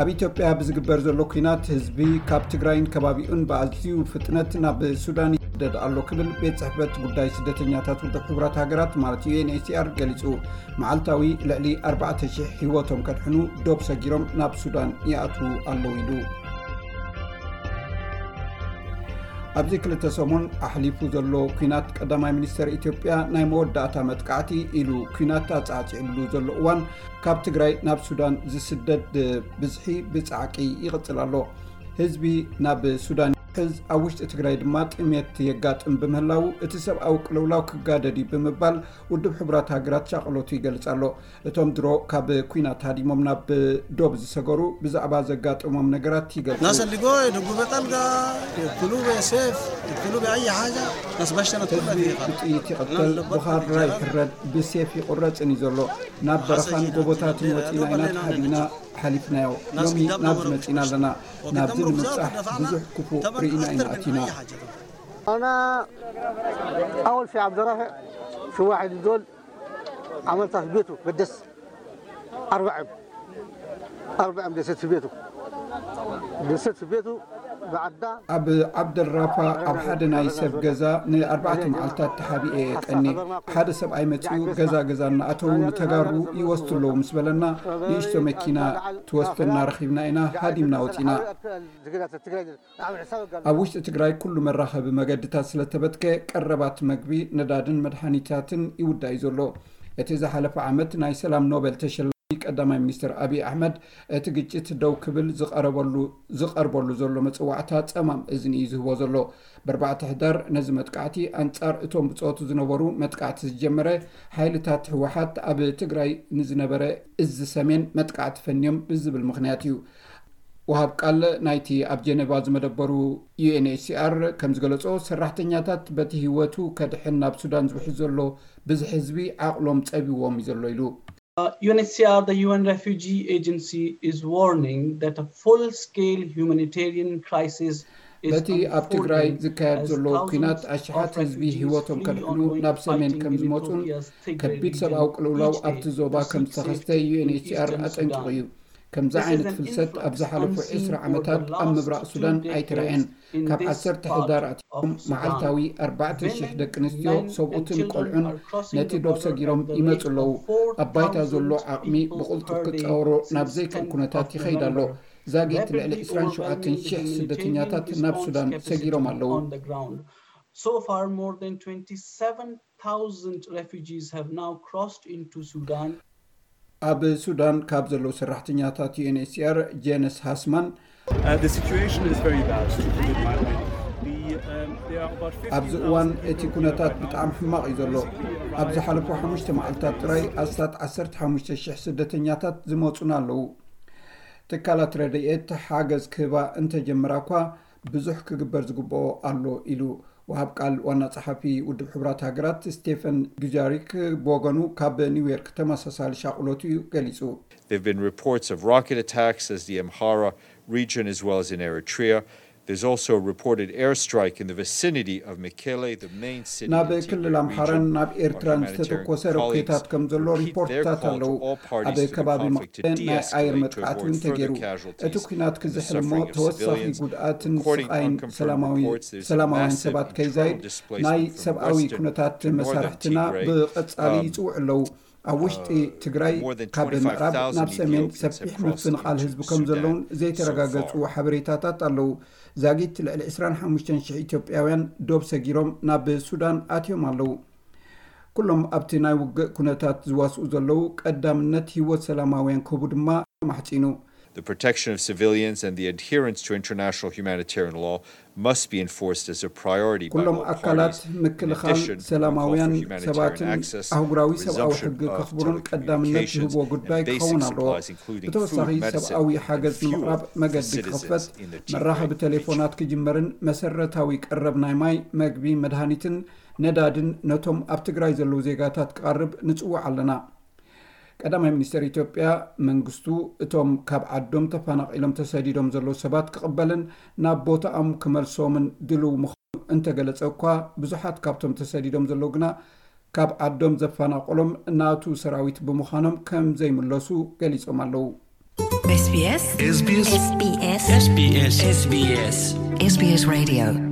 ኣብ ኢትዮጵያ ብዝግበር ዘሎ ኲናት ህዝቢ ካብ ትግራይን ከባቢኡን ብኣዝዩ ፍጥነት ናብ ሱዳን ይስደድ ኣሎ ክብል ቤት ጽሕፈት ጉዳይ ስደተኛታት ውድብ ሕቡራት ሃገራት ማለት ዩኤንኤችሲኣር ገሊጹ። መዓልታዊ ልዕሊ ኣርባዕተ ሽሕ ህይወቶም ከድሕኑ ዶብ ሰጊሮም ናብ ሱዳን ይኣትዉ ኣለዉ ኢሉ። ኣብዚ ክልተ ሰሙን ኣሕሊፉ ዘሎ ኲናት ቀዳማይ ሚኒስተር ኢትዮጵያ ናይ መወዳእታ መጥቃዕቲ ኢሉ ኲናት ኣጻዕጺዕሉ ዘሎ እዋን ካብ ትግራይ ናብ ሱዳን ዝስደድ ብዝሒ ብጻዕቂ ይቕጽል ኣሎ። ህዝቢ ናብ ሱዳን ሕዝ ኣብ ውሽጢ ትግራይ ድማ ጥሜት የጋጥም ብምህላው እቲ ሰብኣዊ ቅልውላው ክጋደድ እዩ ብምባል ውድብ ሕቡራት ሃገራት ሻቕሎቱ ይገልጽ ኣሎ። እቶም ድሮ ካብ ኲናት ሃዲሞም ናብ ዶብ ዝሰገሩ ብዛዕባ ዘጋጠሞም ነገራት ይገልጹ። ናሰልጎ የደጉበ ጣልጋ የክሉበ ሴፍ የክሉበ ኣይ ሓጃ ናስባሽተነት ህዝቢ ብጥይት ይቕተል፣ ብኻራ ይሕረድ፣ ብሴፍ ይቑረጽን እዩ ዘሎ። ናብ በረኻን ጎቦታትን ወፂና ኢና ተሓቢእና ሓሊፍናዮ። ሎሚ ናብዚ መፂና ኣለና። ናብዚ ንምብፃሕ ብዙሕ ክፉእ ርኢና ኢና ኣቲና። ኣና ኣወል ፊ ዓብደራፊዕ ሽዋሒድ ዞል ዓመልታት ቤቱ በደስ ኣርባዕም ኣርባዕም ደሰት ቤቱ ደሰት ቤቱ ብዓዳ ኣብ ዓብደልራፋ ኣብ ሓደ ናይ ሰብ ገዛ ንኣርባዕተ መዓልታት ተሓቢኤ እየ ቀኒ። ሓደ ሰብኣይ መጺኡ ገዛ ገዛ እናኣተዉ ንተጋሩ ይወስዱ ኣለዉ ምስ በለና ንእሽቶ መኪና ትወስደና ረኺብና ኢና ሃዲምና ወጺና። ኣብ ውሽጢ ትግራይ ኩሉ መራኸቢ መገድታት ስለተበትከ ቀረባት መግቢ፣ ነዳድን መድሃኒታትን ይውዳእ እዩ ዘሎ። እቲ ዝሓለፈ ዓመት ናይ ሰላም ኖበል ተሸላሚ ቀዳማይ ሚኒስትር ኣብይ ኣሕመድ እቲ ግጭት ደው ክብል ዝቐረበሉ ዝቐርበሉ ዘሎ መፅዋዕታ ፀማም እዝኒ እዩ ዝህቦ ዘሎ። ብኣርባዕተ ሕዳር ነዚ መጥቃዕቲ ኣንፃር እቶም ብፆቱ ዝነበሩ መጥቃዕቲ ዝጀመረ ሓይልታት ህወሓት ኣብ ትግራይ ንዝነበረ እዚ ሰሜን መጥቃዕቲ ፈንዮም ብዝብል ምኽንያት እዩ። ወሃብ ቃል ናይቲ ኣብ ጀነቫ ዝመደበሩ ዩኤንኤችሲኣር ከም ዝገለጾ ሰራሕተኛታት በቲ ህይወቱ ከድሕን ናብ ሱዳን ዝውሕዝ ዘሎ ብዝሒ ህዝቢ ዓቕሎም ጸቢዎም እዩ ዘሎ ኢሉ። U N H C R, the U N Refugee Agency, is warning that a full-scale humanitarian crisis is በቲ ኣብ ትግራይ ዝካየድ ዘሎ ኲናት ኣሽሓት ህዝቢ ህይወቶም ከድሕኑ ናብ ሰሜን ከም ዝመፁን ከቢድ ሰብኣዊ ቅልውላው ኣብቲ ዞባ ከም ዝተኸስተ ዩኤንኤችሲኣር ኣጠንቂቑ እዩ። ከምዚ ዓይነት ፍልሰት ኣብ ዝሓለፉ ዕስራ ዓመታት ኣብ ምብራቕ ሱዳን ኣይተራእየን። ካብ ዓሰርተ ሕዳር ኣትዮም መዓልታዊ ኣርባዕተ ሽሕ ደቂ ኣንስትዮ ሰብኡትን ቆልዑን ነቲ ዶብ ሰጊሮም ይመጹ ኣለዉ። ኣብ ባይታ ዘሎ ዓቕሚ ብቕልጡፍ ክጻወሮ ናብ ዘይክእል ኩነታት ይኸይድ ኣሎ። ዛጊት ልዕሊ ዕስራን ሸውዓተን ሽሕ ስደተኛታት ናብ ሱዳን ሰጊሮም ኣለዉ። So far, more than twenty-seven thousand refugees have now crossed into Sudan. ኣብ ሱዳን ካብ ዘለዉ ሰራሕተኛታት ዩኤንኤችሲኣር ጄነስ ሃስማን Uh, the situation is very bad, to put it mildly. The, um, there are about ኣብዚ እዋን እቲ ኩነታት ብጣዕሚ ሕማቕ እዩ ዘሎ። ኣብ ዝሓለፉ ሓሙሽተ መዓልታት ጥራይ ኣስታት ዓሰርተ ሓሙሽተ ሽሕ ስደተኛታት ዝመፁና ኣለዉ። ትካላት ረድኤት ሓገዝ ክህባ እንተጀምራ እኳ ብዙሕ ክግበር ዝግብኦ ኣሎ ኢሉ። ወሃብ ቃል ዋና ጸሓፊ ውድብ ሕቡራት ሃገራት ስቴፈን ዱጃሪክ ብወገኑ ካብ ኒውዮርክ ተመሳሳሊ ሻቕሎት እዩ ገሊጹ። There have been reports of rocket attacks as the Amhara region as well as in Eritrea. There's also a reported airstrike in the vicinity of Mekelle, the main city ናብ ክልል ኣምሓራን ናብ ኤርትራን ዝተተኮሰ ሮኬታት ከም ዘሎ ሪፖርትታት ኣለዉ። ኣብ ከባቢ መቐለ ናይ ኣየር መጥቃዕቲ እውን ተገይሩ። እቲ ኲናት ክዝሕል እሞ ተወሳኺ ጉድኣትን ስቓይን ሰላማውያን ሰባት ከይዛይድ ናይ ሰብኣዊ ኩነታት መሳርሕትና ብቐጻሊ ይጽውዑ ኣለዉ። ኣብ ውሽጢ ትግራይ ካብ ምዕራብ ናብ ሰሜን ሰፊሕ ምፍንቓል ህዝቢ ከም ዘለውን ዘይተረጋገጹ ሓበሬታታት ኣለዉ። ዛጊት ልዕሊ ዕስራን ሓሙሽተን ሽሕ ኢትዮጵያውያን ዶብ ሰጊሮም ናብ ሱዳን ኣትዮም ኣለዉ። ኩሎም ኣብቲ ናይ ውግእ ኩነታት ዝዋስኡ ዘለዉ ቀዳምነት ህይወት ሰላማውያን ክህቡ ድማ ተማሕጺኑ። The protection of civilians and the adherence to international humanitarian law must be enforced as a priority by ኩሎም all ኣካላት parties. ምክልኻል ሰላማውያን ሰባትን ኣህጉራዊ ሰብኣዊ ሕጊ ከኽብሩን ቀዳምነት ዝህብዎ ጉዳይ ክኸውን ኣለዎ። ብተወሳኺ ሰብኣዊ ሓገዝ ንምቕራብ መገዲ ክኽፈት፣ መራኸቢ ቴሌፎናት ክጅመርን መሰረታዊ ቀረብ ናይ ማይ፣ መግቢ፣ መድሃኒትን ነዳድን ነቶም ኣብ ትግራይ ዘለዉ ዜጋታት ክቐርብ ንጽውዕ ኣለና። ቀዳማይ ሚኒስተር ኢትዮጵያ መንግስቱ እቶም ካብ ዓዶም ተፈናቒሎም ተሰዲዶም ዘለዉ ሰባት ክቕበልን ናብ ቦታኦም ክመልሶምን ድልው ምዃኑ እንተገለጸ እኳ ብዙሓት ካብቶም ተሰዲዶም ዘለዉ ግና ካብ ዓዶም ዘፈናቐሎም ናቱ ሰራዊት ብምዃኖም ከም ዘይምለሱ ገሊጾም ኣለዉ። SBS SBS SBS SBS SBS Radio.